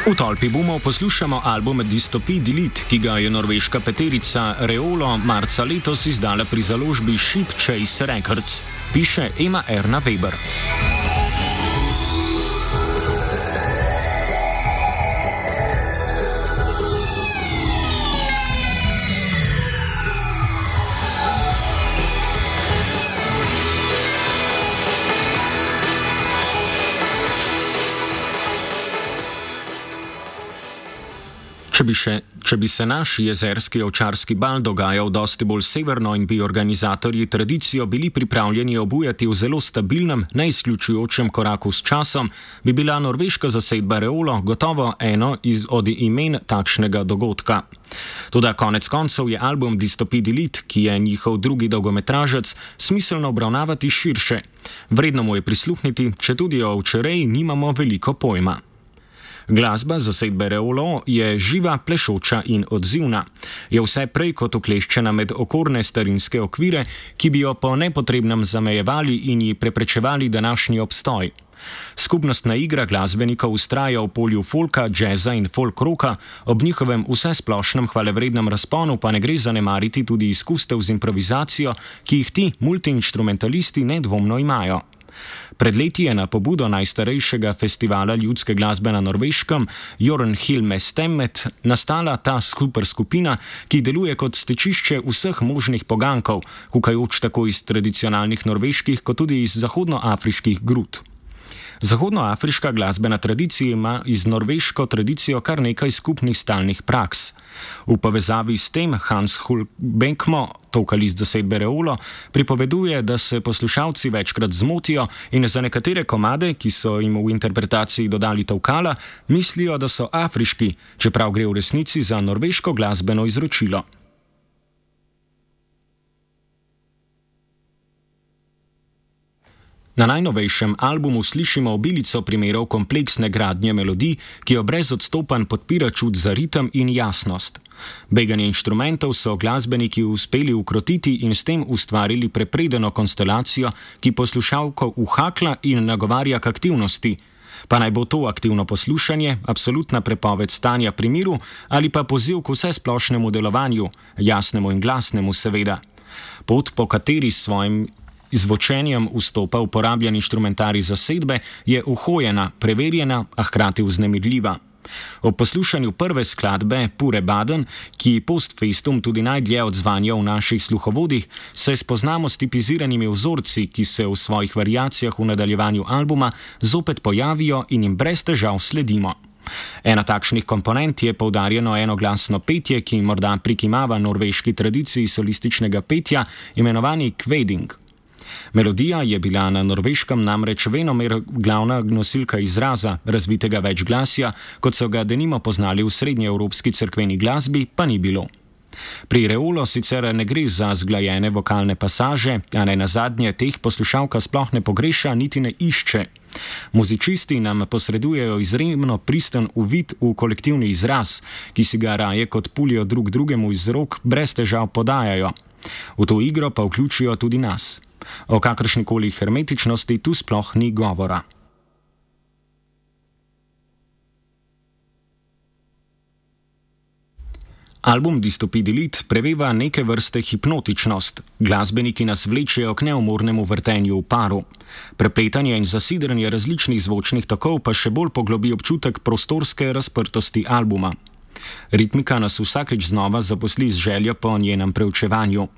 V Tolpi bomo poslušamo album Dystopie Delete, ki ga je norveška peterica Reolo marca letos izdala pri založbi Ship Chase Records, piše Ema Erna Weber. Če bi se naš jezerski ovčarski bal dogajal dosti bolj severno in bi organizatorji tradicijo bili pripravljeni obujati v zelo stabilnem, neizključujočem koraku s časom, bi bila norveška zasedba Reolo gotovo eno od imen takšnega dogodka. Toda konec koncev je album Dystopie Delete, ki je njihov drugi dolgometražec, smiselno obravnavati širše. Vredno mu je prisluhniti, četudi o ovčereji nimamo veliko pojma. Glasba zasedbe Reolo je živa, plešoča in odzivna. Je vse prej kot ukleščena med okorne starinske okvire, ki bi jo po nepotrebnem zamejevali in ji preprečevali današnji obstoj. Skupnostna igra glasbenikov vztraja v polju folka, džeza in folk roka, ob njihovem vsesplošnem hvalevrednem razponu pa ne gre zanemariti tudi izkustev z improvizacijo, ki jih ti multiinštrumentalisti nedvomno imajo. Pred leti je na pobudo najstarejšega festivala ljudske glasbe na Norveškem, Jørnhilmestemmet, nastala ta superskupina, ki deluje kot stečišče vseh možnih pogankov, kukajoč tako iz tradicionalnih norveških kot tudi iz zahodnoafriških grud. Zahodnoafriška glasbena tradicija ima z norveško tradicijo kar nekaj skupnih stalnih praks. V povezavi s tem Hans Hultbekmo, vokalist zasedbe Reolo, pripoveduje, da se poslušalci večkrat zmotijo in za nekatere komade, ki so jim v interpretaciji dodali tolkala, mislijo, da so afriški, čeprav gre v resnici za norveško glasbeno izročilo. Na najnovejšem albumu slišimo obilico primerov kompleksne gradnje melodij, ki jo brez odstopanj podpira čut za ritem in jasnost. Beganje inštrumentov so glasbeniki uspeli ukrotiti in s tem ustvarili prepredeno konstelacijo, ki poslušalko uhakla in nagovarja k aktivnosti. Pa naj bo to aktivno poslušanje, absolutna prepoved stanja pri miru ali pa poziv k vsesplošnemu delovanju, jasnemu in glasnemu seveda. Pot, po kateri s svojim izvočenjem vstopa uporabljen inštrumentarij zasedbe, je uhojena, preverjena, a hkrati vznemirljiva. Ob poslušanju prve skladbe Pure Baden, ki post festum tudi najdlje odzvanja v naših sluhovodih, se spoznamo s tipiziranimi vzorci, ki se v svojih variacijah v nadaljevanju albuma zopet pojavijo in jim brez težav sledimo. Ena takšnih komponent je poudarjeno enoglasno petje, ki morda prikimava norveški tradiciji solističnega petja, imenovani kvading. Melodija je bila na Norveškem namreč venomer glavna nosilka izraza, razvitega večglasja, kot so ga denimo poznali v srednjeevropski cerkveni glasbi, pa ni bilo. Pri Reolo sicer ne gre za zglajene vokalne pasaže, a ne nazadnje teh poslušalka sploh ne pogreša niti ne išče. Muzičisti nam posredujejo izjemno pristen uvid v kolektivni izraz, ki si ga raje kot pulijo drug drugemu iz rok brez težav podajajo. V to igro pa vključijo tudi nas. O kakršnikoli hermetičnosti tu sploh ni govora. Album Dystopie Delete preveva neke vrste hipnotičnost. Glasbeniki nas vlečejo k neumornemu vrtenju v paru. Prepletanje in zasidranje različnih zvočnih tokov pa še bolj poglobi občutek prostorske razprtosti albuma. Ritmika nas vsakeč znova zaposli z željo po njenem preučevanju.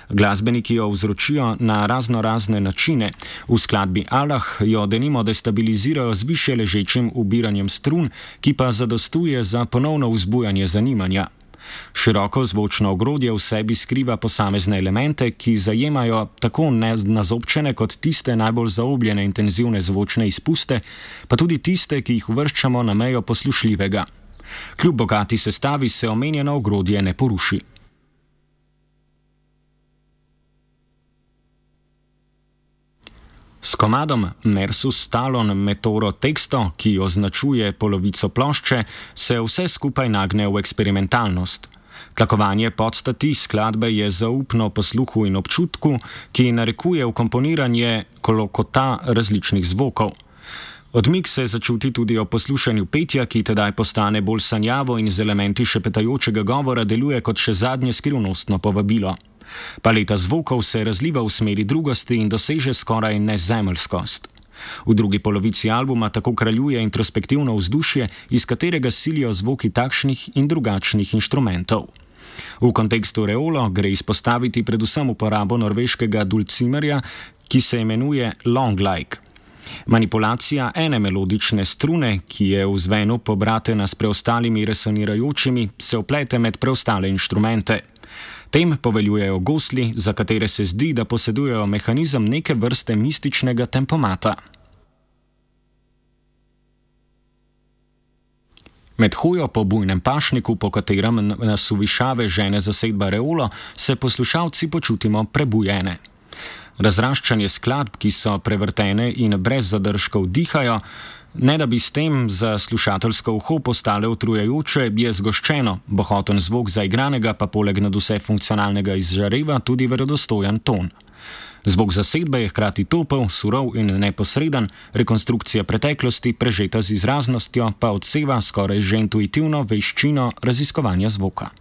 Glasbeniki jo vzročijo na raznorazne načine. V skladbi Allah jo denimo destabilizirajo z više ležečim ubiranjem strun, ki pa zadostuje za ponovno vzbujanje zanimanja. Široko zvočno ogrodje v sebi skriva posamezne elemente, ki zajemajo tako nazobčene kot tiste najbolj zaobljene intenzivne zvočne izpuste, pa tudi tiste, ki jih uvrščamo na mejo poslušljivega. Kljub bogati sestavi se omenjeno ogrodje ne poruši. S komadom Mersus Talon Metoro Texto, ki označuje polovico plošče, se vse skupaj nagne v eksperimentalnost. Tlakovanje podstati skladbe je zaupno posluhu in občutku, ki narekuje vkomponiranje kolokota različnih zvokov. Odmik se začuti tudi ob poslušanju petja, ki tedaj postane bolj sanjavo in z elementi šepetajočega govora deluje kot še zadnje skrivnostno povabilo. Paleta zvokov se razliva v smeri drugosti in doseže skoraj nezemeljskost. V drugi polovici albuma tako kraljuje introspektivno vzdušje, iz katerega silijo zvoki takšnih in drugačnih inštrumentov. V kontekstu Reolo gre izpostaviti predvsem uporabo norveškega dulcimerja, ki se imenuje long-like. Manipulacija ene melodične strune, ki je v zvenu pobratena s preostalimi resonirajočimi, se vplete med preostale inštrumente. Tem poveljujejo gosli, za katere se zdi, da posedujejo mehanizem neke vrste mističnega tempomata. Med hojo po bujnem pašniku, po katerem nas v višave žene zasedba Reolo, se poslušalci počutimo prebujene. Razraščanje skladb, ki so prevrtene in brez zadržkov dihajo, ne da bi s tem za slušateljsko uho postale utrujajoče, je zgoščeno, bohoten zvok zaigranega pa poleg nadvse funkcionalnega izžareva tudi verodostojen ton. Zvok zasedbe je hkrati topel, surov in neposreden, rekonstrukcija preteklosti, prežeta z izraznostjo, pa odseva skoraj že intuitivno veščino raziskovanja zvoka.